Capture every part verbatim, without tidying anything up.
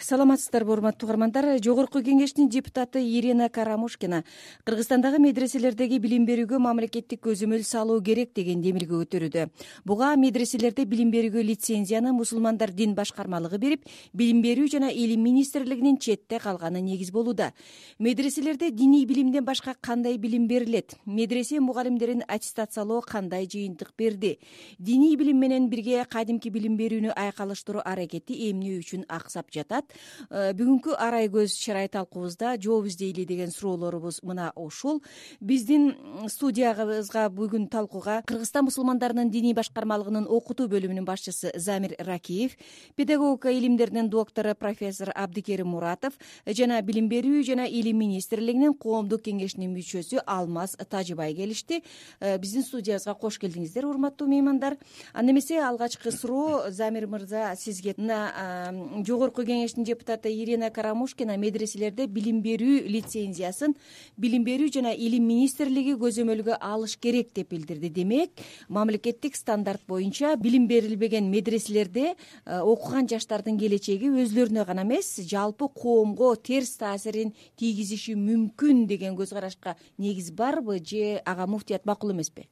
Саламатсыздарбы, урматтуу угармандар. Жогорку кеңештин депутаты Ирина Карамушкина Кыргызстандагы медреселердеги билим берүүгө мамлекеттик көзөмөл салуу керек деген демилге көтөрүүдө. Буга медреселерде билим берүүгө лицензияны мусулмандар дин башкармалыгы берип, билим берүү жана илим министрлигинин четте калганы негиз болууда. Медреселерде диний билимден башка кандай билим берилет? Медресе мугалимдерин аттестациялоо кандай жыйынтык берди? Диний билим менен бирге кадимки билим берүүнү айкалыштыруу аракети эмне үчүн аксап жатат? Бүгүнкү арай көз чырай талкуубузда жооп издейли деген суроолорубуз мына ушул. Биздин студиябызга бүгүн талкууга Кыргызстан мусулмандарынын диний башкармалыгынын окутуу бөлүмүнүн башчысы Замир Ракиев, педагогика илимдеринин доктору профессор Абдикерим Муратов жана билим берүү жана илим министрлигинин коомдук кеңешинин мүчөсү Алмаз Тажыбай келишти. Биздин студиябызга кош келдиңиздер, урматтуу меймандар. Анда эмесе алгачкы суроо Замир мырза сизге. Мына жогорку кеңештин депутаты Ирина Карамушкина медреселерде билим берүү лицензиясын билим берүү жана илим министрлиги көзөмөлгө алыш керек деп билдирди. Демек, мамлекеттик стандарт боюнча билим берилбеген медреселерде окуган жаштардын келечеги өзлөрүнө гана эмес, жалпы коомго терс таасирин тийгизиши мүмкүн деген көз карашка негиз барбы же ага муфтият макул эмеспи?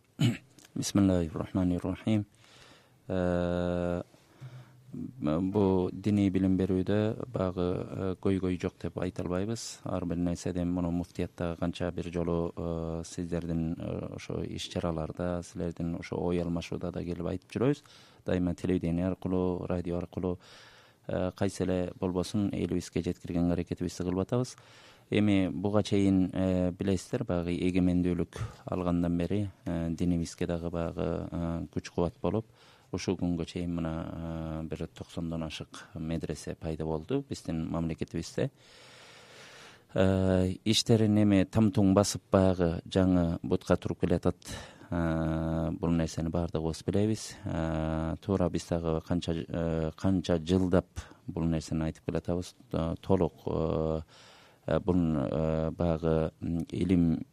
Бисмиллахир-рахманир-рахим. Бу диний билим берүүдө багы көйгөй жок деп айта албайбыз. Ар бир нерседен муну муфтиятта канча бир жолу сиздердин ошо иш-чараларда, силердин ошо ой алмашууда да келип айтып жүрөбүз. Дайыма телевидение аркылуу, радио аркылуу кайсы эле болбосун элибизге жеткиргенге аракетибизди кылып атабыз. Эми буга чейин билесиздер, баягы эгемендүүлүк алгандан бери динибизге дагы баягы күч кубат болуп, ушул күнгө чейин мына бир токсондон ашык медресе пайда болду биздин мамлекетибизде. Иштерин эми тамтуң басып баягы жаңы бутка туруп келатат. Бул нерсени баардыгыбыз билебиз. Туура биз дагы канча канча жылдап бул нерсени айтып келатабыз. Толук бул баягы илим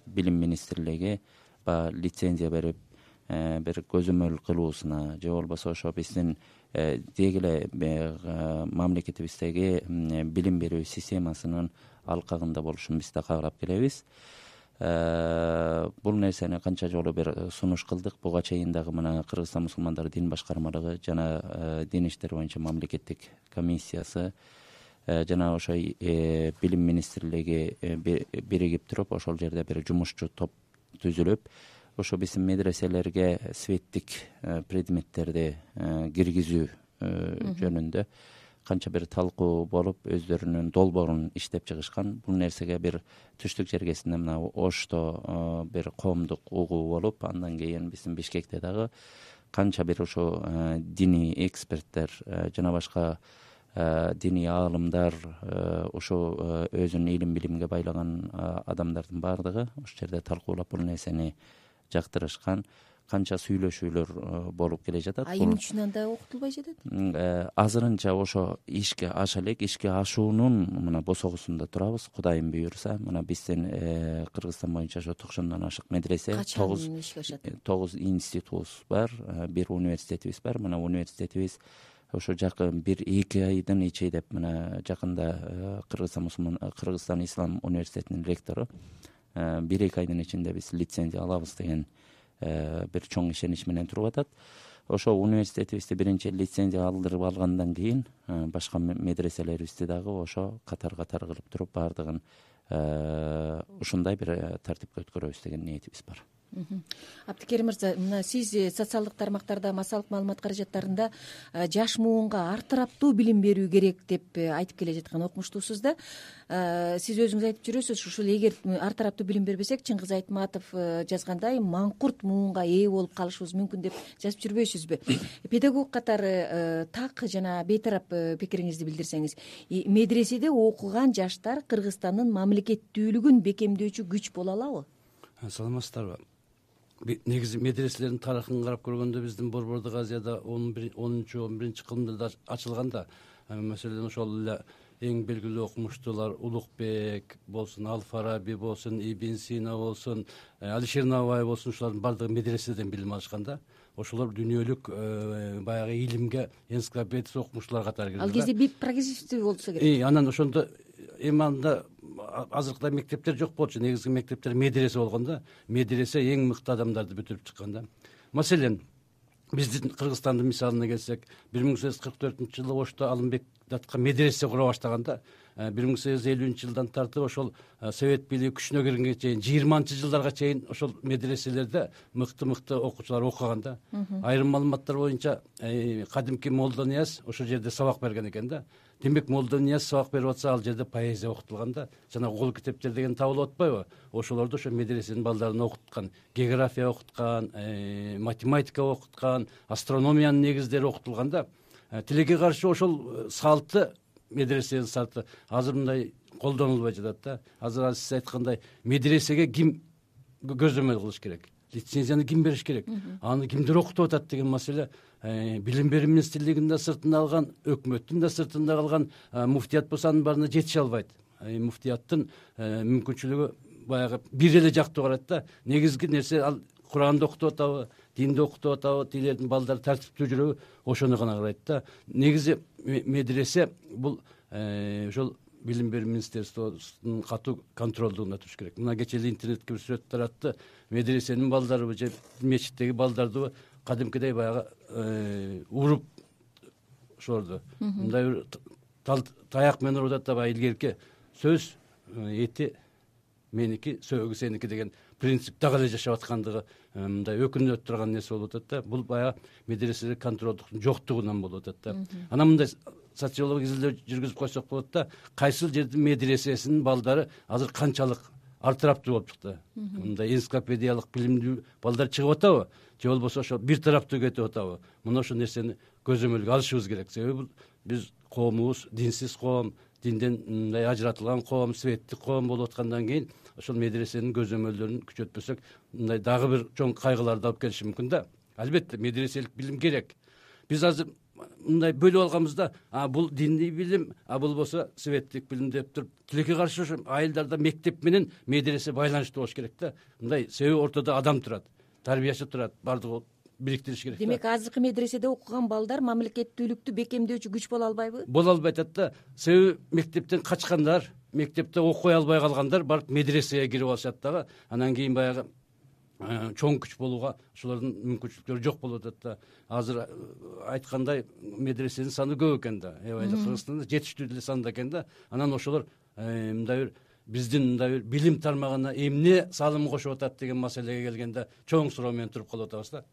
билим министрлиги баягы лицензия берип бир көзөмөл кылуусуна же болбосо ошо биздин деги эле мамлекетибиздеги билим берүү системасынын алкагында болушун биз да каалап келебиз. Бул нерсени канча жолу бир сунуш кылдык. Буга чейин дагы мына Кыргызстан мусулмандары дин башкармалыгы жана дин иштери боюнча мамлекеттик комиссиясы жана ошо билим министрлиги биригип туруп ошол жерде бир жумушчу топ түзүлүп, ошо биздин медреселерге светтик предметтерди киргизүү жөнүндө канча бир талкуу болуп, өздөрүнүн долбоорун иштеп чыгышкан. Бул нерсеге бир түштүк жергесинде мына Ошто бир коомдук угуу болуп, андан кийин биздин Бишкекте дагы канча бир ошо диний эксперттер жана башка диний аалымдар, ошо өзүнүн илим билимге байлаган адамдардын баардыгы ошол жерде талкуулап бул нерсени жактырышкан. Канча сүйлөшүүлөр болуп келе жатат. А эмне үчүн анда окутулбай жатат? Азырынча ошо ишке аша элек, ишке ашуунун мына босогусунда турабыз. Кудайым буйруса, мына биздин Кыргызстан боюнча ошо токсондон ашык медресе, тогуз ишке ашат. тогуз институтубуз бар, бир университетибиз бар. Мына университетибиз ошо жакын бир эки айдын ичинде мына жакында Кыргызстан мусулман Кыргызстан ислам университетинин ректору бир эки айдын ичинде биз лицензия алабыз деген бир чоң ишенич менен туруп атат. Ошо университетибизди биринчи лицензия алдырып алгандан кийин башка медреселерибизди дагы ошо катар-катар кылып туруп баардыгын ушундай бир тартипке өткөрөбүз деген ниетибиз бар. Абдикерим мырза, мына сиз социалдык тармактарда, массалык маалымат каражаттарында жаш муунга артыраптуу билим берүү керек деп айтып келе жаткан окумуштуусуз да. Сиз өзүңүз айтып жүрөсүз, ушул эгер артыраптуу билим бербесек, Чыңгыз Айтматов жазгандай маңкурт муунга ээ болуп калышыбыз мүмкүн деп жазып жүрбөйсүзбү? Педагог катары так жана бейтарап пикириңизди билдирсеңиз. Медреседе окуган жаштар Кыргызстандын мамлекеттүүлүгүн бекемдөөчү күч боло алабы? Саламатсыздарбы? Негизи медреселердин тарыхын карап көргөндө биздин Борбордук Азияда онунчу он биринчи кылымдарда ачылганда Маселен ошол эле эң белгилүү окумуштуулар Улукбек болсун, Ал-Фараби болсун, Ибн Сина болсун, Алишер Наваи болсун, ушулардын баардыгы медреседен билим алышкан да. Ошолор дүйнөлүк баягы илимге энциклопедия окумуштуулар катары кирди. Ал кезде бир прогрессивдүү болсо керек. Анан ошондо эми анда азыркыдай мектептер жок болчу. Негизги мектептер медресе болгон да. Медресе эң мыкты адамдарды бүтүрүп чыккан да. Маселен, биздин Кыргызстандын мисалына келсек, бир миң сегиз жүз кырк төртүнчү жылы Ошто Алымбек датка медресе кура баштаган да. бир миң сегиз жүз элүүнчү жылдан тартып ошол совет бийлиги күчүнө киргенге чейин жыйырманчы жылдарга чейин ошол медреселерде мыкты-мыкты окуучулар окуган да. Айрым маалыматтар боюнча кадимки Молдо Нияз ошол жерде сабак берген экен да. Демек Молдо Нияз сабак берип атса, ал жерде поэзия окутулган да. Жана кол китептер деген табылып атпайбы? Ошолорду ошо медресенин балдарын окуткан, география окуткан, математика окуткан, астрономиянын негиздери окутулган да. Тилекке каршы ошол салты, медресенин салты азыр мындай колдонулбай жатат да. Азыр сиз айткандай медресеге ким көзөмөл кылыш керек? Лицензияны ким бериш керек? Аны кимдер окутуп атат деген маселе билим берүү министрлигинин да сыртында калган, өкмөттүн да сыртында калган, муфтият болсо анын баарына жетише албайт. Муфтияттын мүмкүнчүлүгү баягы бир эле жактуу карайт да. Негизги нерсе ал Куранды окутуп атабы, динди окутуп атабы, тилердин балдары тартиптүү жүрөбү, ошону гана карайт да. Негизи медресе бул ошол билим берүү министрлигинин катуу контролдугунда туруш керек. Мына кечээ эле интернетке бир сүрөт таратты. Медресенин балдарыбы же мечиттеги балдарды кадимкидей баягы уруп ошолорду мындай бир таяк менен урут атат, баягы илгерки сөз эти меники, сөөгү сеники деген принцип дагы эле жашап аткандыгы мындай өкүнүп турган нерсе болуп атат да. Бул баягы медреседе контролдуктун жоктугунан болуп атат да. Анан мындай социологиялык изилдөө жүргүзүп койсок болот да. Кайсыл жердин медресесинин балдары азыр канчалык артыраптуу болуп чыкты. Мындай энциклопедиялык билимдүү балдар чыгып атабы? Же болбосо ошо бир тараптуу кетип атабы? Мына ошол нерсени көзөмөлгө алышыбыз керек. Себеби биз коомубуз динсиз коом, динден мындай ажыратылган коом, светтик коом болуп аткандан кийин ошол медресенин көзөмөлдөрүн күчөтпөсөк, мындай дагы бир чоң кайгыларды алып келиши мүмкүн да. Албетте медреселик билим керек. Биз азыр мындай бөлүп алганбыз да. А бул диний билим, а бул болсо светтик билим деп туруп, тилекке каршы ошо айылдарда мектеп менен медресе байланыштуу болуш керек да. Мындай себеби ортодо адам турат, тарбиячы турат, бардыгы бириктириш керек. Демек азыркы медреседе окуган балдар мамлекеттүүлүктү бекемдөөчү күч боло албайбы? Боло албай атат да. Себеби мектептен качкандар, мектепте окуй албай калгандар барып медресеге кирип алышат дагы. Анан кийин баягы чоң күч болууга ошолордун мүмкүнчүлүктөрү жок болуп атат да. Азыр айткандай медресенин саны көп экен да. Эбай Кыргызстанда жетиштүү деле санда экен да. Анан ошолор мындай бир биздин мындай бир билим тармагына эмне салым кошуп атат деген маселеге келгенде чоң суроо менен туруп калып атабыз да.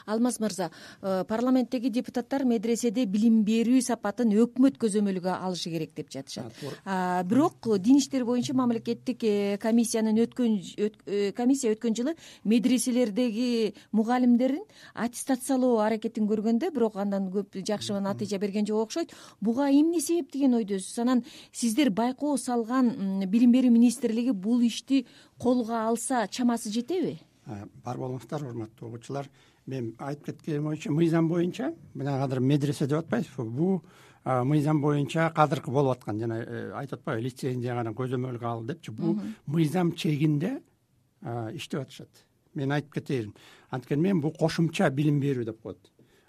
Алмаз мырза, парламенттеги депутаттар медреседе билим берүү сапатын өкмөт көзөмөлгө алышы керек деп жатышат. Бирок дин иштери боюнча мамлекеттик комиссиянын өткөн комиссия өткөн жылы медреселердеги мугалимдерин аттестациялоо аракетин көргөндө, бирок андан көп жакшы натыйжа берген жок окшойт. Буга эмне себеп деген ойдосуз? Анан сиздер байкоо салган билим берүү министрлиги бул ишти колго алса чамасы жетеби? Бар болуңуздар, урматтуу окуучулар. Мен айтып кеткеним боюнча, мыйзам боюнча, мына азыр медресе деп атпайсызбы? Бул мыйзам боюнча кадыркы болуп аткан, жана айтып атпайбы, лицензияга көзөмөлгө ал депчи. Бул мыйзам чегинде иштеп атышат. Мен айтып кетейин. Анткени мен бул кошумча билим берүү деп коет.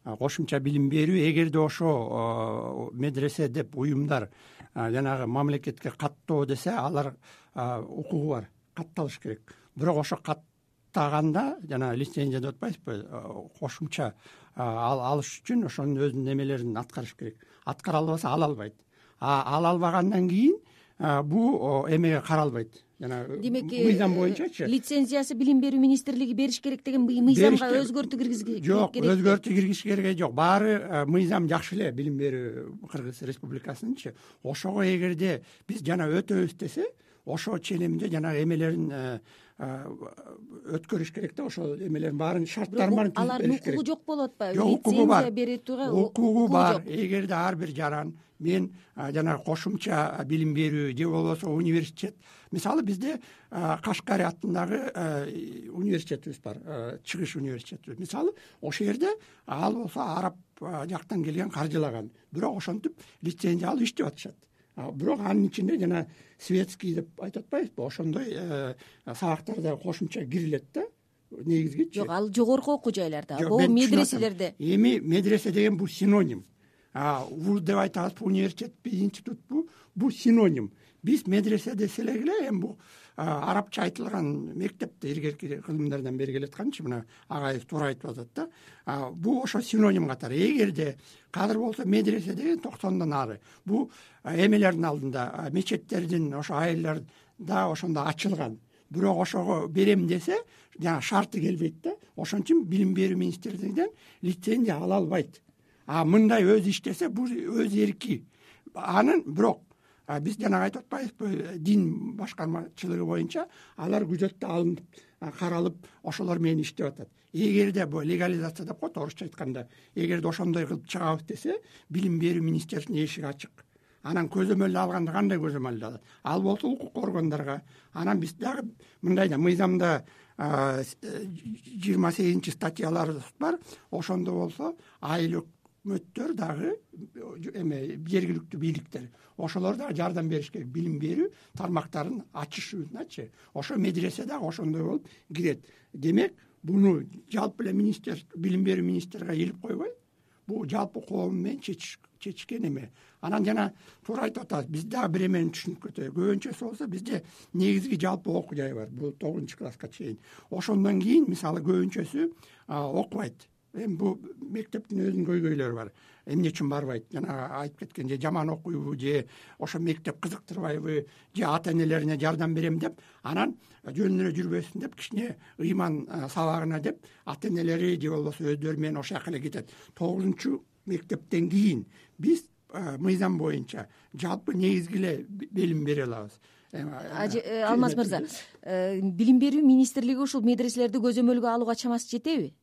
Кошумча билим берүү, эгерде ошо медресе деп уюмдар жанагы мамлекетке каттоо десе, алар укугу бар, катталыш керек. Бирок ошо каттаганда, жана лицензия деп атпайсызбы, кошумча алыш үчүн ошонун өзүнүн немелерин аткарыш керек. Аткара албаса ала албайт. А ала албагандан кийин бул эмеге каралбайт. Жана мыйзам боюнчачы лицензиясы билим берүү министрлиги бериш керек деген мыйзамга өзгөртүү киргизги керек. Жок, өзгөртүү киргизиш кереги жок. Баары мыйзам жакшы эле билим берүү Кыргыз Республикасынынчы. Ошого эгерде биз жана өтөбүз десе, ошо ченемде жанагы эмелерин өткөрүш керек да, ошо эмелердин баарын шарттарын баарын түзүп бериш керек. Алардын укугу жок болуп атпайбы? Лицензия бере турган укугу бар. Эгерде ар бир жаран мен жанагы кошумча билим берүү же болбосо университет, мисалы бизде Кашкари атындагы университетибиз бар, чыгыш университети. Мисалы ошол жерде ал болсо араб жактан келген каржылаган, бирок ошентип лицензия алып иштеп атышат. Бирок анын ичинде жана светский деп айтып атпайбызбы, ошондой сабактар да кошумча кирилет да негизгичи. Жок, ал жогорку окуу жайларда, бул медреселерде. Эми медресе деген бул синоним. Вуз деп айтабыз, университетпи, институтпу, бул синоним. Биз медресе десек эле эми бул арабча айтылган мектепте илгерки кылымдардан бери келатканчы, мына агайыбыз туура айтып атат да. Бул ошо синоним катары. Эгерде кадыр болсо медресе деген токсондон ары. Бул эмелердин алдында, мечеттердин ошо айылдарда ошондо ачылган. Бирок ошого берем десе, жана шарты келбейт да. Ошон үчүн билим берүү министрлигинен лицензия ала албайт. А мындай өз иштесе бул өз эрки. Анын бирок биз жана айтып атпайбызбы, дин башкармачылыгы боюнча алар күзөттө алынып, каралып, ошолор менен иштеп атат. Эгерде бул легализация деп коет орусча айтканда, эгерде ошондой кылып чыгабыз десе, билим берүү министрлигинин эшиги ачык. Анан көзөмөлдө алганда кандай көзөмөлдө алат? Ал болсо укук органдарга. Анан биз дагы мындай да мыйзамда жыйырма сегизинчи статьялар бар. Ошондо болсо айыл өкмөттөр дагы эме жергиликтүү бийликтер, ошолор дагы жардам бериш керек. Билим берүү тармактарын ачышуuначы. Ошо медресе дагы ошондой болуп кирет. Демек, буну жалпы эле министр, билим берүү министрге илип койбой, бул жалпы коом менен чечиш чечкен эме. Анан жана туура айтып атабыз, биз дагы бир эмени түшүнүп кетели. Көбүнчөсү болсо бизде негизги жалпы окуу жай бар. Бул тогузунчу класска чейин. Ошондон кийин мисалы көбүнчөсү окубайт. Эми бул мектептин өзүнүн көйгөйлөрү бар. Эмне үчүн барбайт? Жана айтып кеткен, же жаман окуйбу, же ошо мектеп кызыктырбайбы, же ата-энелерине жардам берем деп, анан жөнүнө эле жүрбөсүн деп, кичине ыйман сабагына деп, ата-энелери же болбосо өздөрү менен ошол жака эле кетет. тогузунчу мектептен кийин биз мыйзам боюнча жалпы негизги эле билим бере алабыз. Алмаз мырза, билим берүү министрлиги ушул медреселерди көзөмөлгө алууга чамасы жетеби?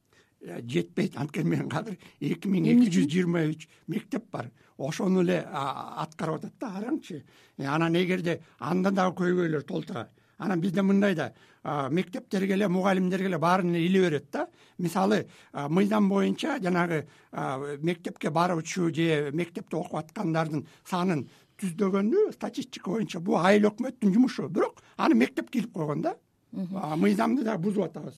Жетпейт. Анткени мен кадыр эки миң эки жүз жыйырма үч мектеп бар. Ошону эле аткарып атат да, караңчы. Анан эгерде анда дагы көйгөйлөр толтура. Анан бизде мындай да мектептерге эле, мугалимдерге эле баарын эле иле берет да. Мисалы, мыйзам боюнча жанагы мектепке баруучу же мектепте окуп аткандардын санын түздөгөндү статистика боюнча бул айыл өкмөттүн жумушу. Бирок аны мектепке илип койгон да. Мыйзамды да бузуп атабыз.